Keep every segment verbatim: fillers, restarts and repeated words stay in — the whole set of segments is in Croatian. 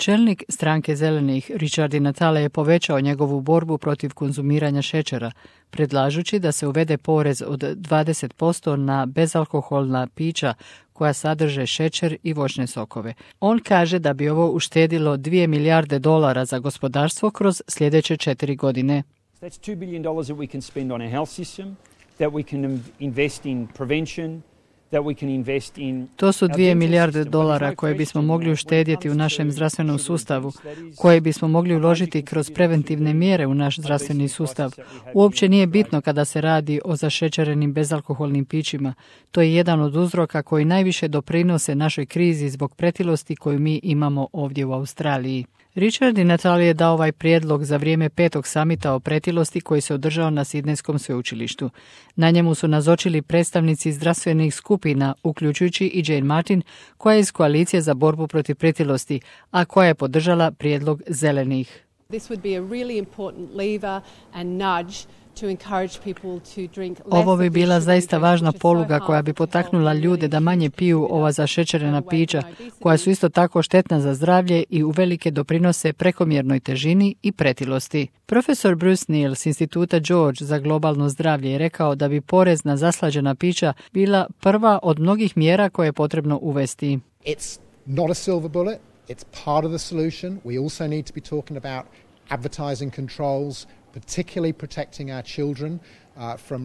Čelnik stranke Zelenih, Richard Di Natale, je povećao njegovu borbu protiv konzumiranja šećera, predlažući da se uvede porez od dvadeset posto na bezalkoholna pića koja sadrže šećer i voćne sokove. On kaže da bi ovo uštedilo dvije milijarde dolara za gospodarstvo kroz sljedeće četiri godine. That's two billion dollars that we can spend on our health system, that we can invest in prevention. To su dvije milijarde dolara koje bismo mogli uštedjeti u našem zdravstvenom sustavu, koje bismo mogli uložiti kroz preventivne mjere u naš zdravstveni sustav. Uopće nije bitno kada se radi o zašećerenim bezalkoholnim pićima. To je jedan od uzroka koji najviše doprinose našoj krizi zbog pretilosti koju mi imamo ovdje u Australiji. Richard Di Natale je dao ovaj prijedlog za vrijeme petog samita o pretilosti koji se održao na Sidnejskom sveučilištu. Na njemu su nazočili predstavnici zdravstvenih skupina, uključujući i Jane Martin, koja je iz koalicije za borbu protiv pretilosti, a koja je podržala prijedlog Zelenih. This would be a really important lever and nudge to encourage people to drink less. Ovo bi bila zaista važna poluga koja bi potaknula ljude da manje piju ova zašećerena pića, koja su isto tako štetna za zdravlje i uvelike doprinose prekomjernoj težini i pretilosti. Profesor Bruce Neal s Instituta George za globalno zdravlje je rekao da bi porez na zaslađena pića bila prva od mnogih mjera koje je potrebno uvesti. It's not a silver bullet, it's part of the solution. We also need to be talking about advertising controls, particularly protecting our children.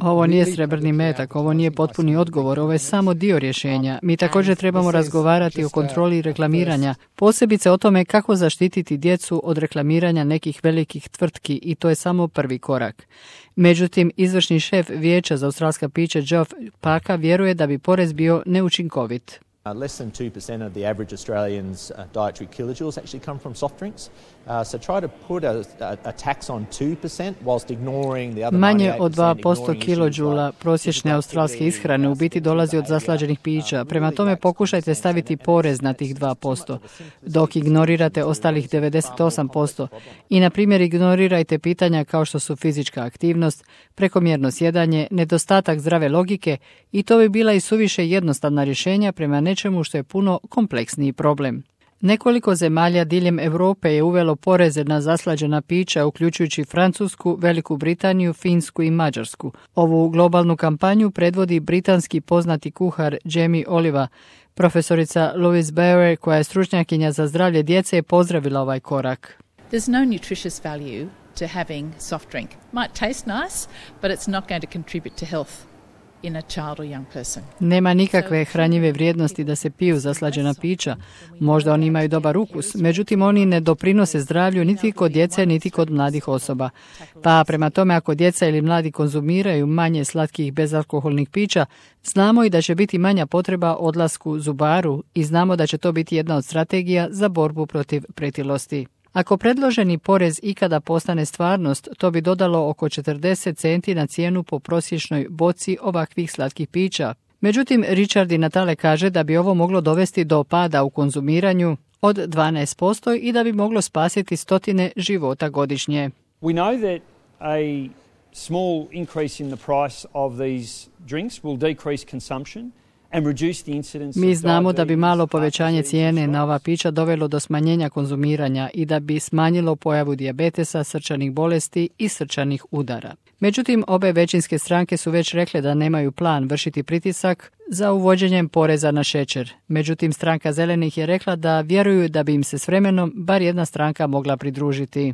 Ovo nije srebrni metak, ovo nije potpuni odgovor, ovo je samo dio rješenja. Mi također trebamo razgovarati o kontroli reklamiranja, posebice o tome kako zaštititi djecu od reklamiranja nekih velikih tvrtki i to je samo prvi korak. Međutim, izvršni šef Vijeća za australska pića Geoff Parker vjeruje da bi porez bio neučinkovit. Uh, less than two percent of the average Australian's uh, dietary kilojoules actually come from soft drinks. Uh, so try to put a, a, a tax on two percent whilst ignoring the other Manje od dva posto kilođula prosječne australske ishrane u biti dolazi od zaslađenih pića. Prema tome pokušajte staviti porez na tih dva posto, dok ignorirate ostalih devedeset osam posto. I na primjer ignorirajte pitanja kao što su fizička aktivnost, prekomjerno sjedanje, nedostatak zdrave logike i to bi bila i suviše jednostavna rješenja prema nečemu što je puno kompleksniji problem. Nekoliko zemalja diljem Europe je uvelo poreze na zaslađena pića, uključujući Francusku, Veliku Britaniju, Finsku i Mađarsku. Ovu globalnu kampanju predvodi britanski poznati kuhar Jamie Oliver. Profesorica Louise Barer, koja je stručnjakinja za zdravlje djece, je pozdravila ovaj korak. There's no nutritious value to having soft drink. Might taste nice, but it's not going to contribute to health. In a child or young person. Nema nikakve hranjive vrijednosti da se piju zaslađena pića. Možda oni imaju dobar ukus, međutim oni ne doprinose zdravlju niti kod djece, niti kod mladih osoba. Pa prema tome ako djeca ili mladi konzumiraju manje slatkih bezalkoholnih pića, znamo i da će biti manja potreba odlasku zubaru i znamo da će to biti jedna od strategija za borbu protiv pretilosti. Ako predloženi porez ikada postane stvarnost, to bi dodalo oko četrdeset centi na cijenu po prosječnoj boci ovakvih slatkih pića. Međutim, Richard Di Natale kaže da bi ovo moglo dovesti do pada u konzumiranju od dvanaest posto i da bi moglo spasiti stotine života godišnje. We know that a small increase in the price of these drinks will decrease consumption. Mi znamo da bi malo povećanje cijene na ova pića dovelo do smanjenja konzumiranja i da bi smanjilo pojavu dijabetesa, srčanih bolesti i srčanih udara. Međutim, obe većinske stranke su već rekle da nemaju plan vršiti pritisak za uvođenjem poreza na šećer. Međutim, stranka Zelenih je rekla da vjeruju da bi im se s vremenom bar jedna stranka mogla pridružiti.